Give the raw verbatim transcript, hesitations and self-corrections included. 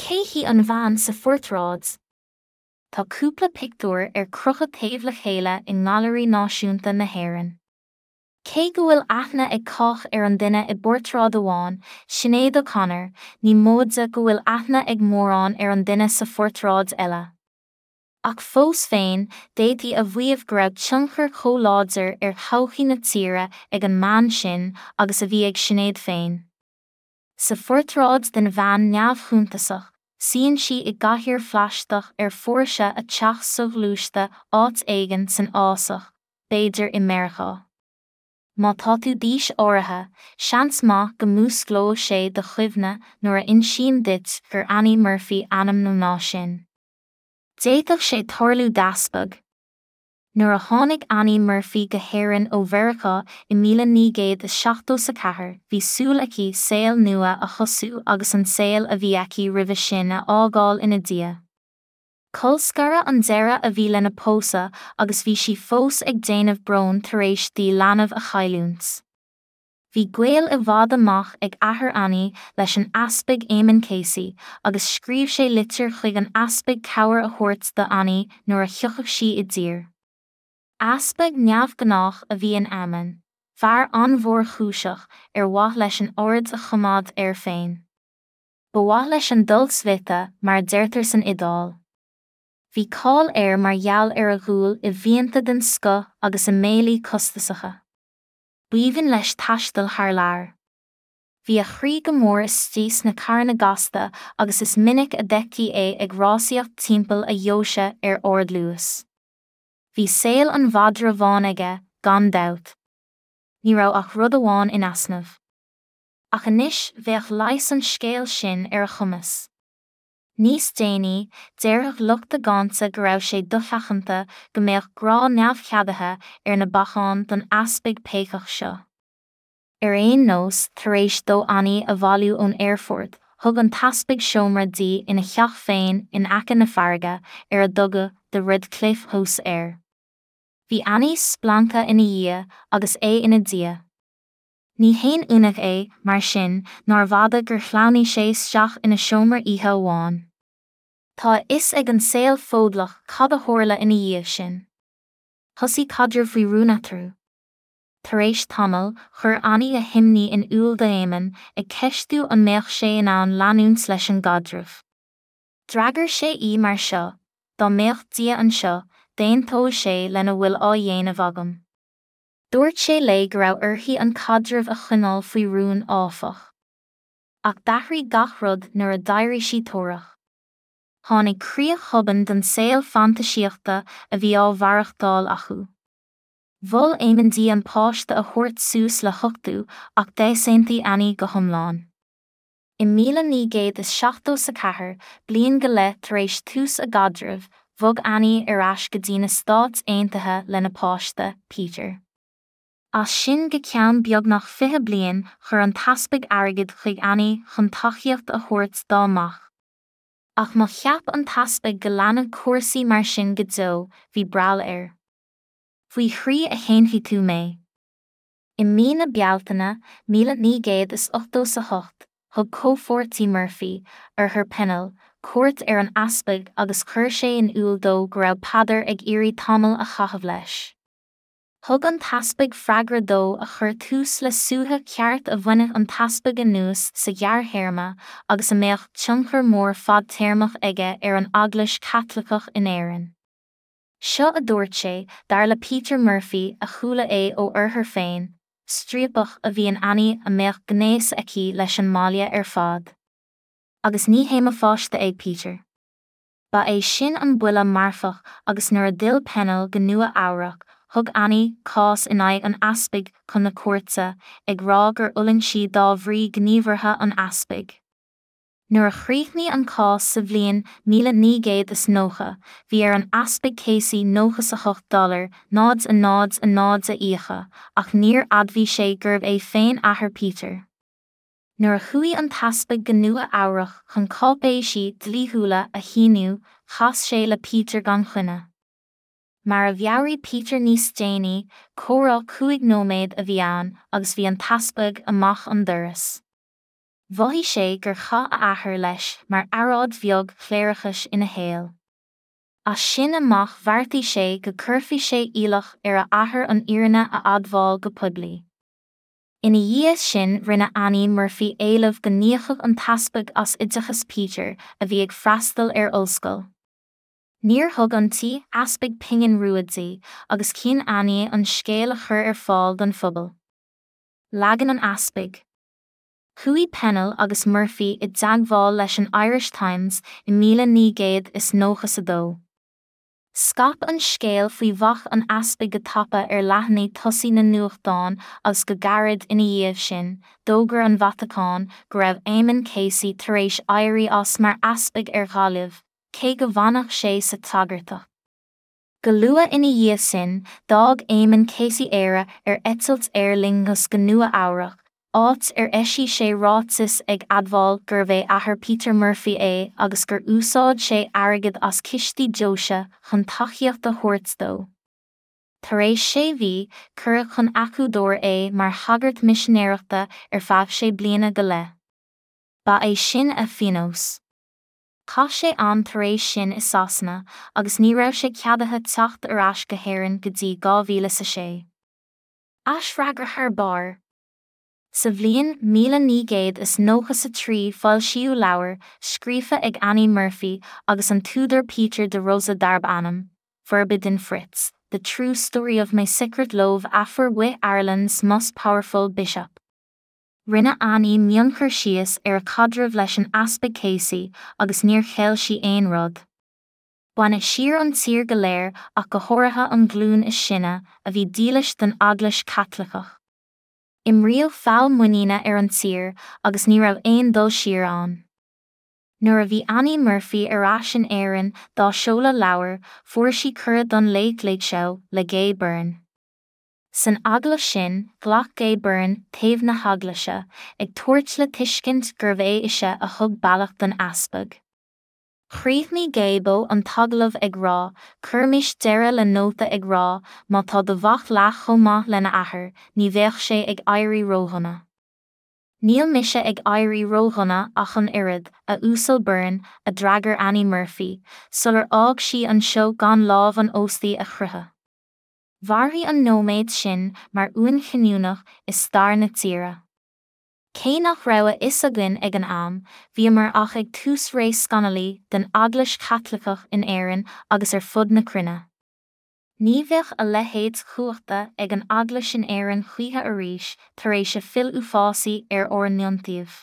Cé hí an bhean sa phortráid? Tá cúpla pictiúr ar crochadh taobh le chéile i nGailearaí Náisiúnta na hÉireann. Cé go bhfuil aithne ag cách ar an duine i bportráid amháin, Sinéad O'Connor, ní móide go bhfuil aithne ag mórán ar an duine sa phortráid eile. Ach fós féin, d'fhéadfaí a mhaíomh go raibh tionchar chomh láidir ar thodhchaí na tíre ag an mbean sin agus a bhí ag Sinéad féin. Sa phortráid den bhean neamhshuntasach, suíonn sí i gcathaoir phlaisteach ar phóirse a teach soghluaiste áit éigin san fhásach, b'fhéidir i Meiriceá. Má tá tú d'aois áirithe, seans maith go músclóidh sé do chuimhne nuair a insím duit gur Annie Murphy ainm na mná sin. D'fhéadfadh sé tarlú d'easpag. Nuair a tháinig Annie Murphy go hÉirinn ó Mheiriceá i míle naoi gcéad is seachtó a ceathair, bhí súil aici saol nua a thosú agus an saol a bhí aici roimhe sin a fhágáil ina diaidh. Colscaradh an deireadh a bhí lena pósadh agus bhí sí fós ag déanamh bróin tar éis di leanbh a chailliúint. Bhí gaol i bhfad amach ag athair Annie leis an Easpag Eamon Casey agus scríobh sé litir chuig an easpag cabhair a thabhairt do Annie nuair a thiocfadh sí i dtír. Easpag neamhghnách a bhí in Eamon, fear an-mhórchúiseach ar mhaith leis an aird a choimeád air féin. Ba mhaith leis an dolce vita mar a deirtear san Iodáil. Bhí cáil air mar gheall ar a dhúil i bhfíonta den scoth agus i mbéilí costasacha. B'aoibhinn leis taisteal thar lear. Bhí a chroí go mór istigh sna carranna gasta agus is minic a d'fheictí é ag rásaíocht timpeall a dheoise ar ardluas. Bhí saol an mhadra bháin aige, gan dabht. Ní raibh ach rud amháin in easnamh. Ach anois bheadh leigheas an scéil sin ar a chumas. Níos déanaí, déarfadh lucht a gcáinte go raibh sé dosheachanta go mbeadh grá neamhcheadaithe ar na bacáin don easpag péacach seo. Ar aon nós, tar éis dó Annie a bhailiú ón aerfort, thug an t-easpag seomra di ina theach féin in aice na farraige ar a dtugadh The Redcliffe House air. Bhí Annie splanctha ina dhiaidh agus é ina diaidh. Ní haon ionadh é, mar sin, nár bhfada gur shleamhnaigh sé isteach ina seomra oíche amháin. Tá a fhios ag an saol Fódlach cad a tharla ina dhiaidh sin. Thosaigh caidreamh faoi rún eatarthu. Tar éis tamaill, chuir Annie a himní in iúl d'Éamonn, ag ceistiú an mbeadh sé in ann leanúint leis an gcaidreamh. D'fhreagair sé í mar seo, dá mbeadh Dia anseo, d'aontódh sé lena bhfuil á dhéanamh agam. Dúirt sé léi go raibh uirthi an caidreamh a choinneáil faoi rún áfach. Ach d'athraigh gach rud nuair a d'éirigh sí torrach. Tháinig críoch thobann don saol fantaisíochta a bhí á mhaireachtáil acu. Mhol Éamonn di an páiste a thabhairt suas le huchtú ach d'easaontaigh Annie go hiomlán. I míle naoi gcéad is seachtó a ceathair, bliain go leith tar éis tús a gcaidrimh, bhog Annie ar ais go dtí na Stáit Aontaithe lena páiste, Peter. As sin go ceann beagnach fiche bliain chuir an t-easpag airgead chuig Annie chun tacaíocht a thabhairt dá mac. Ach má cheap an t-easpag go leanfadh cúrsaí mar sin go deo, bhí breall air. Faoi thrí a shéanfaidh tú mé. I mí na Bealtaine, míle naoi gcéad is ochtó a hocht, thug comhpháirtí Murphy, Arthur Pennell, cuairt ar an easpag agus chuir sé in iúl dó go raibh Peadar ag iarraidh tamall a chaitheamh leis. Thug an t-easpag freagra dó a chuir tús le suaitheadh ceart a bhainfeadh an t-easpag anuas sa ghearrthéarma agus a mbeadh tionchar mór fadtéarmach aige ar an Eaglais Chaitliceach in Éirinn. Seo a dúirt sé, dar le Peter Murphy a chuala é ó Arthur féin, striapach a bhí in Annie a mbeadh gnéas aici leis an mbaile ar fad. Agus ní hé mo pháiste é Peter. Ba é sin an buille marfach agus nuair a d'fhill Pennell go Nua Eabhrac, thug Annie cás in aghaidh an easpaig chun na cúirte, ag rá gur fhulaing sí dá bhrí gníomhartha an easpaig. Nuair a chríochnaigh an cás sa bhliain míle naoi gcéad is nócha, bhí ar an easpag Casey nócha a hocht dollar náid a náid a náid a íocadh, ach níor admhaigh sé gurbh é féin athair Peter. Nuair a chuaigh an t-easpag go Nua Eabhrac chun cáipéisí dlíthiúla a shíniú, chas sé le Peter gan choinne. Mar a mheabhraigh Peter níos déanaí, comhrá cúig nóiméad a bhí ann agus bhí an t-easpag amach an doras. Mhothaigh sé gur chaith a athair leis mar earráid bheag chléireachais ina shaol. As sin amach bheartaigh sé go gcuirfeadh sé iallach ar a athair an fhírinne a admháil go poiblí. Ina dhiaidh sin rinne Annie Murphy éileamh go n-íocfadh an t-easpag as oideachas Peter, a bhí ag freastal ar ollscoil. Níor thug an t-easpag pingin rua di, agus chinn Annie an scéal a chur ar fáil don phobal. Leagan an Easpaig. Chuaigh Pennell agus Murphy i dteagmháil leis an Irish Times i míle naoi gcéad is nócha a dó. Scaip an scéal faoi mhac an easpaig go tapa ar leathanaigh tosaigh na nuachtán agus go gairid ina dhiaidh sin, d'fhógair an Vatacáin go raibh Eamon Casey tar éis éirí as mar easpag ar Ghaillimh, cé go bhfanfadh sé sa tsagartacht. Go luath ina dhiaidh sin, d'fhág Eamon Casey Éire ar eitilt Aer Lingus go Nua-Eabhrac, áit ar eisigh sé ráiteas ag admháil gurbh é athair Peter Murphy é agus gur úsáid sé airgead as cistí deoise chun tacaíocht a thabhairt dó. Tar éis sé mhí, cuireadh chun Eacuadór é mar shagart misinéireachta ar feadh sé bliana go leith. Ba é sin a phionós. Chaith sé am tar éis sin i Sasana agus ní raibh sé ceadaithe teacht ar ais go hÉirinn go dtí dhá mhíle is a sé. Aisfhreagra thar barr. Sa bhliain míle naoi gcéad is nócha a trí foilsíodh leabhar, scríofa ag Annie Murphy agus an t-údar Peter de Rosa darb ainm, Forbidden Fruits, The True Story of My Secret Love Affair with Ireland's Most Powerful Bishop. Rinne Annie mionchur síos ar a caidreamh leis an Easpag Casey agus níor cheil sí aon rud. Baineadh siar an tír go léir ach go háirithe an ghlúin is sine a bhí dílis don Eaglais Chaitliceach. Imríodh feall muiníne ar an tír agus ní raibh aon dul siar ann. Nuair a bhí Annie Murphy ar ais in Éirinn dá seoladh leabhair, fuair sí cuireadh don Late Late Show le Gay Byrne. San agallamh sin, ghlac Gay Byrne taobh na heaglaise, ag tabhairt le tuiscint gurbh é ise a thug bealach don easpag. Chríochnaigh Gaybo an t-agallamh ag rá, Cuirimis deireadh le nóta ag rá, má tá do mhac leath chomh maith lena athair, ní bheadh sé ag éirí ródhona. Níl mise ag éirí ródhona ach an oiread, a Uasail Byrne, a d'fhreagair Annie Murphy, sular fhág sí an seó gan lámh an óstaí a chroitheadh. Mhairfeadh an nóiméad sin mar uain chinniúnach i stair na tíre. Cé nach raibh a fhios againn ag an am, bhíomar ach ag tús ré scannalaí den Eaglais Chaitliceach in Éirinn agus ar fud na cruinne. Ní bheadh a leithéid cumhachta ag an Eaglais in Éirinn choíche arís tar éis a fill uafásaí ar ár n-iontaoibh.